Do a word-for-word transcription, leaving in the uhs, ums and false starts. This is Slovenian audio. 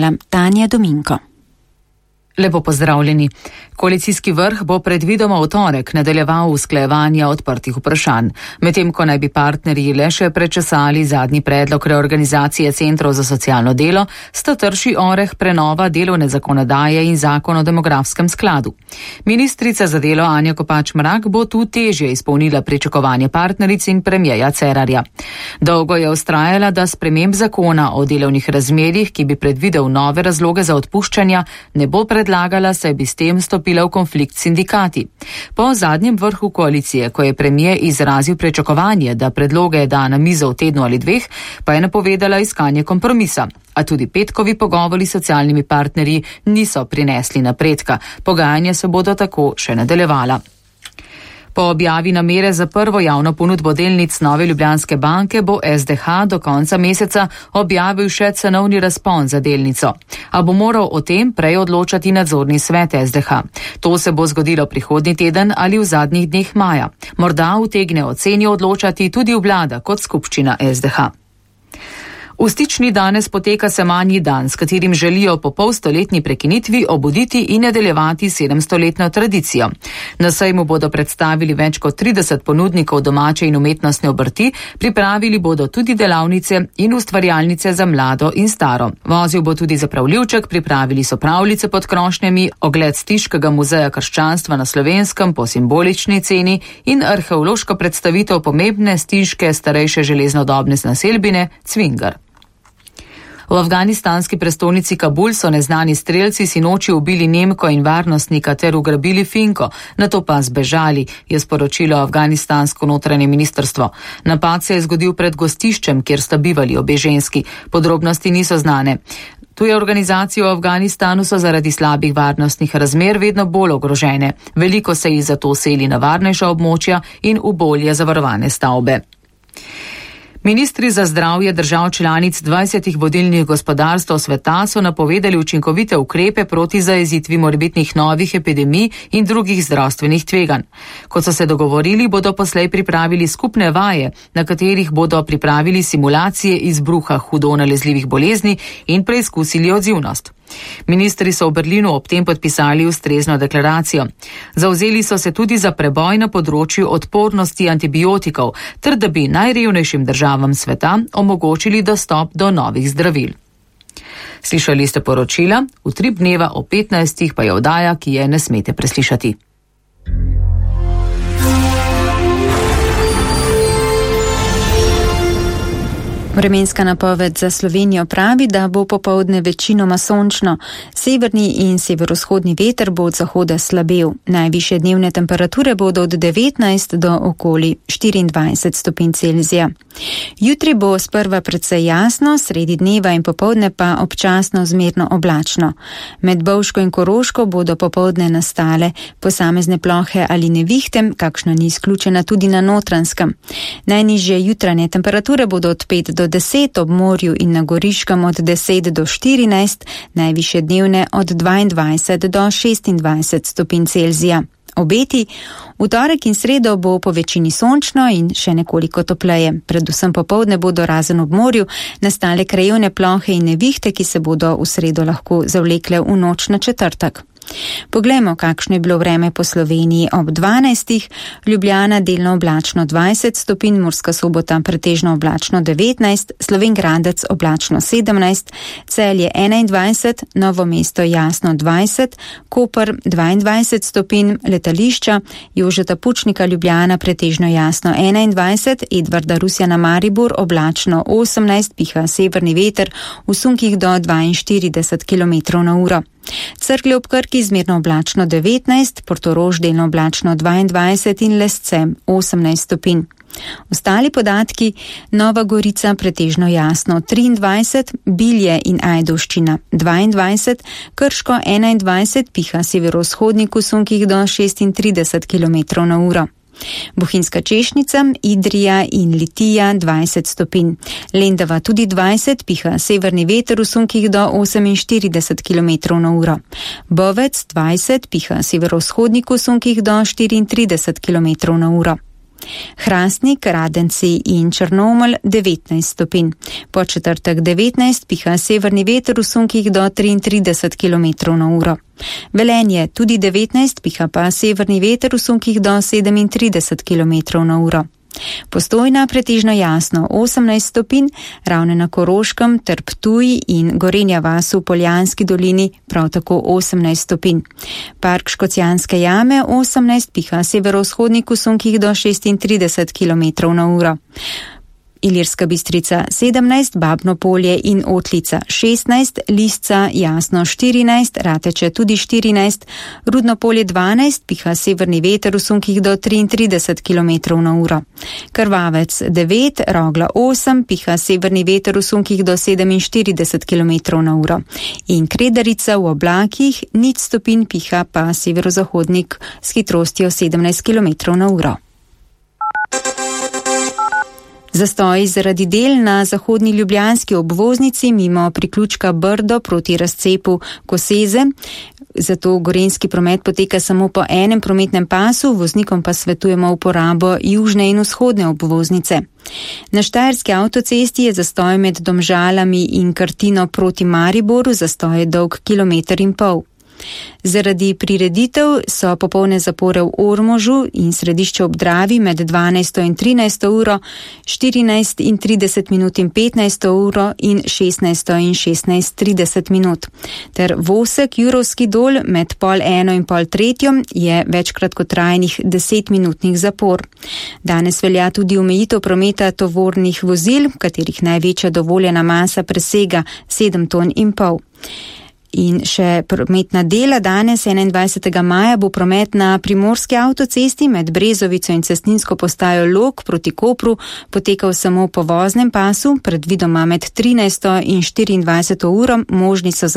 poročala Tanja Dominko. Lepo pozdravljeni. Koalicijski vrh bo predvidoma v torek nadaljeval usklajevanja odprtih vprašanj. Medtem ko naj bi partnerji le še prečesali zadnji predlog reorganizacije centrov za socialno delo, sta trši oreh prenova delovne zakonodaje in zakon o demografskem skladu. Ministrica za delo Anja Kopač Mrak bo tu težje izpolnila pričakovanje partneric in premierja Cerarja. Dolgo je vztrajala, da sprememb zakona o delovnih razmerjih, ki bi predvidel nove razloge za odpuščanja, ne bo predlagala, saj bi s tem stopila v konflikt s sindikati. Po zadnjem vrhu koalicije, ko je premijer izrazil pričakovanje, da predloge da na mizo v tednu ali dveh, pa je napovedala iskanje kompromisa. A tudi petkovi pogovori s socialnimi partnerji niso prinesli napredka. Pogajanja se bodo tako še nadaljevala. Po objavi namere za prvo javno ponudbo delnic Nove Ljubljanske banke bo S D H do konca meseca objavil še cenovni razpon za delnico. A bo moral o tem prej odločati nadzorni svet S D H. To se bo zgodilo prihodnji teden ali v zadnjih dneh maja. Morda utegne o ceni odločati tudi vlada kot skupščina S D H. V Stični danes poteka semanji dan, s katerim želijo po polstoletni prekinitvi obuditi in nadaljevati sedemstoletno tradicijo. Na sejmu bodo predstavili več kot trideset ponudnikov domače in umetnostne obrti, pripravili bodo tudi delavnice in ustvarjalnice za mlado in staro. Vozil bo tudi zapravljivček, pripravili so pravljice pod krošnjami, ogled Stiškega muzeja krščanstva na Slovenskem po simbolični ceni in arheološko predstavitev pomembne stiške starejše železnodobne naselbine Cvingar. V afganistanski prestolnici Kabul so neznani strelci sinoči ubili Nemko in varnostnika ter ugrabili Finko, nato pa zbežali, je sporočilo afganistansko notranje ministrstvo. Napad se je zgodil pred gostiščem, kjer sta bivali obe ženski. Podrobnosti niso znane. Tuje organizacije v Afganistanu so zaradi slabih varnostnih razmer vedno bolj ogrožene. Veliko se jih zato seli na varnejša območja in v bolje zavarovane stavbe. Ministri za zdravje držav članic dvajsetih vodilnih gospodarstv sveta so napovedali učinkovite ukrepe proti zajezitvi morebitnih novih epidemij in drugih zdravstvenih tveganj. Kot so se dogovorili, bodo poslej pripravili skupne vaje, na katerih bodo pripravili simulacije izbruha hudo nalezljivih bolezni in preizkusili odzivnost. Ministri so v Berlinu ob tem podpisali ustrezno deklaracijo. Zavzeli so se tudi za preboj na področju odpornosti antibiotikov, ter da bi najrevnejšim državam sveta omogočili dostop do novih zdravil. Slišali ste poročila, Utrip dneva o petnajstih pa je oddaja, ki je ne smete preslišati. Vremenska napoved za Slovenijo pravi, da bo popoldne večinoma sončno. Severni in severovzhodni veter bo od zahoda slabel. Najvišje dnevne temperature bodo od devetnajst do okoli štiriindvajset stopinj Celzija. Jutri bo sprva precej jasno, sredi dneva in popoldne pa občasno zmerno oblačno. Med Bovško in Koroško bodo popoldne nastale posamezne plohe ali nevihte, kakšna ni izključena tudi na Notranjskem. Najnižje jutranje temperature bodo od pet do deset, ob morju in na Goriškem od deset do štirinajst, najvišje dnevne od dvaindvajset do šestindvajset stopinj Celzija. Obeti, v torek in sredo bo po večini sončno in še nekoliko topleje. Predvsem popoldne bodo razen ob morju nastale krajevne plohe in nevihte, ki se bodo v sredo lahko zavlekle v noč na četrtek. Poglejmo, kakšno je bilo vreme po Sloveniji ob dvanajstih. Ljubljana delno oblačno dvajset stopinj, Murska Sobota pretežno oblačno devetnajst, Slovenj Gradec oblačno sedemnajst, Celje enaindvajset, Novo mesto jasno dvajset, Koper dvaindvajset stopinj, letališča Jožeta Pučnika Ljubljana pretežno jasno enaindvajset, Edvarda Rusjana Maribor oblačno osemnajst, piha severni veter v sunkih do dvainštirideset kilometrov na uro. Cerklje ob Krki zmerno oblačno devetnajst, Portorož delno oblačno dvaindvajset in Lesce osemnajst stopinj. Ostali podatki: Nova Gorica pretežno jasno triindvajset, Bilje in Ajdovščina dvaindvajset, Krško enaindvajset, piha severovzhodnik v sunkih do šestintrideset kilometrov na uro. Bohinjska Češnica, Idrija in Litija dvajset stopinj. Lendava tudi dvajset, piha severni veter v sunkih do oseminštirideset kilometrov na uro. Bovec dvajset, piha severovzhodnik v sunkih do štiriintrideset kilometrov na uro. Hrastnik, Radenci in Črnomelj devetnajst stopinj. Po četrtek devetnajst piha severni veter v sunkih do triintrideset kilometrov na uro. Velenje tudi devetnajst, piha pa severni veter v sunkih do sedemintrideset kilometrov na uro. Postojna pretežno jasno osemnajst stopinj, Ravne na Koroškem ter Ptuj in Gorenja vas v Poljanski dolini prav tako osemnajst stopinj. Park Škocjanske jame osemnajst, piha severovzhodnik v sunkih do šestintrideset kilometrov na uro. Ilirska Bistrica sedemnajst, Babno Polje in Otlica šestnajst, Lisca jasno štirinajst, Rateče tudi štirinajst, Rudno Polje dvanajst, piha severni veter v sunkih do triintrideset kilometrov na uro. Krvavec devet, Rogla osem, piha severni veter v sunkih do sedeminštirideset kilometrov na uro. In Kredarica v oblakih nič stopinj, piha pa severozahodnik s hitrostjo sedemnajst kilometrov na uro. Zastoj zaradi del na zahodni ljubljanski obvoznici mimo priključka Brdo proti razcepu Koseze. Zato gorenjski promet poteka samo po enem prometnem pasu, voznikom pa svetujemo uporabo južne in vzhodne obvoznice. Na Štajerski avtocesti je zastoj med Domžalami in Krtino proti Mariboru, zastoj je dolg kilometer in pol. Zaradi prireditev so popolne zapore v Ormožu in Središču ob Dravi med dvanajsto in trinajsto uro, štirinajst in trideset minut in petnajsto uro in šestnajsto in šestnajst trideset minut. Ter Vosek, Jurovski dol med pol eno in pol tretjo je več kratkotrajnih desetminutnih zapor. Danes velja tudi omejitev prometa tovornih vozil, katerih največja dovoljena masa presega sedem ton in pol. In še prometna dela danes, enaindvajsetega maja, bo promet na primorski avtocesti med Brezovico in cestninsko postajo Log proti Kopru potekal samo po voznem pasu, predvidoma med trinajsto in štiriindvajseto uro, možni so